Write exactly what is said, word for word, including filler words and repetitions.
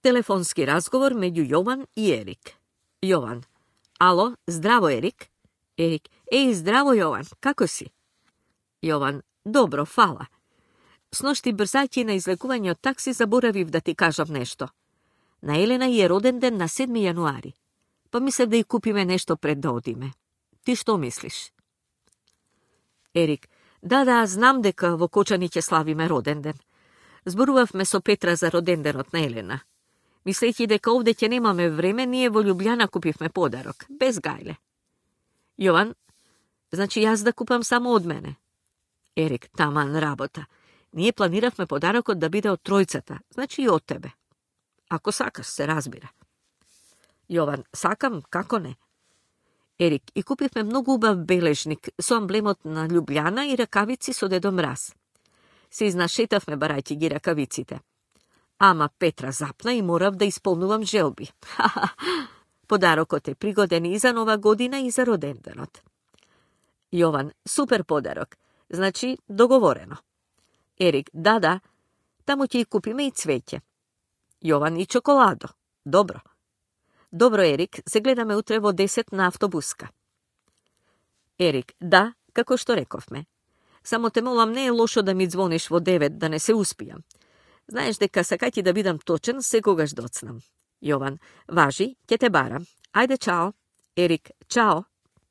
Телефонски разговор меѓу Јован и Ерик. Јован. Ало, здраво, Ерик. Ерик. Еј, здраво, Јован, како си? Јован. Добро, фала. Сношти брзајќи на излекување од такси заборавив да ти кажам нешто. На Елена е роден ден на седми јануари. Па мислев да ја купиме нешто пред да одиме. Ти што мислиш? Ерик. Да, да, знам дека во Кочани ќе славиме роден ден. Зборувавме со Петра за роден денот на Елена. Мислејќи дека овде ќе немаме време, ние во Љубљана купивме подарок, без гајле. Јован. Значи јас да купам само од мене. Ерик. Таман работа. Ние планиравме подарокот да биде од тројцата, значи и од тебе. Ако сакаш, се разбира. Јован. Сакам, како не? Ерик. И купивме многу убав бележник со амблемот на Љубљана и ракавици со Дедо Мраз. Се изнашетавме барајќи ги ракавиците. Ама Петра запна и морав да исполнувам желби. Подарокот е пригоден и за нова година и за роден денот. Јован. Супер подарок. Значи, договорено. Ерик. Да, да. Таму ќе и купиме и цвеќе. Јован. И чоколадо. Добро. Добро, Ерик, се гледаме утре во десет на автобуска. Ерик. Да, како што рековме. Само те молам, не е лошо да ми звониш во девет, да не се успијам. Знаеш дека сакајќи да бидам точен, секогаш доцнам. Јован. Важи, ќе те барам. Ајде, чао. Ерик. Чао.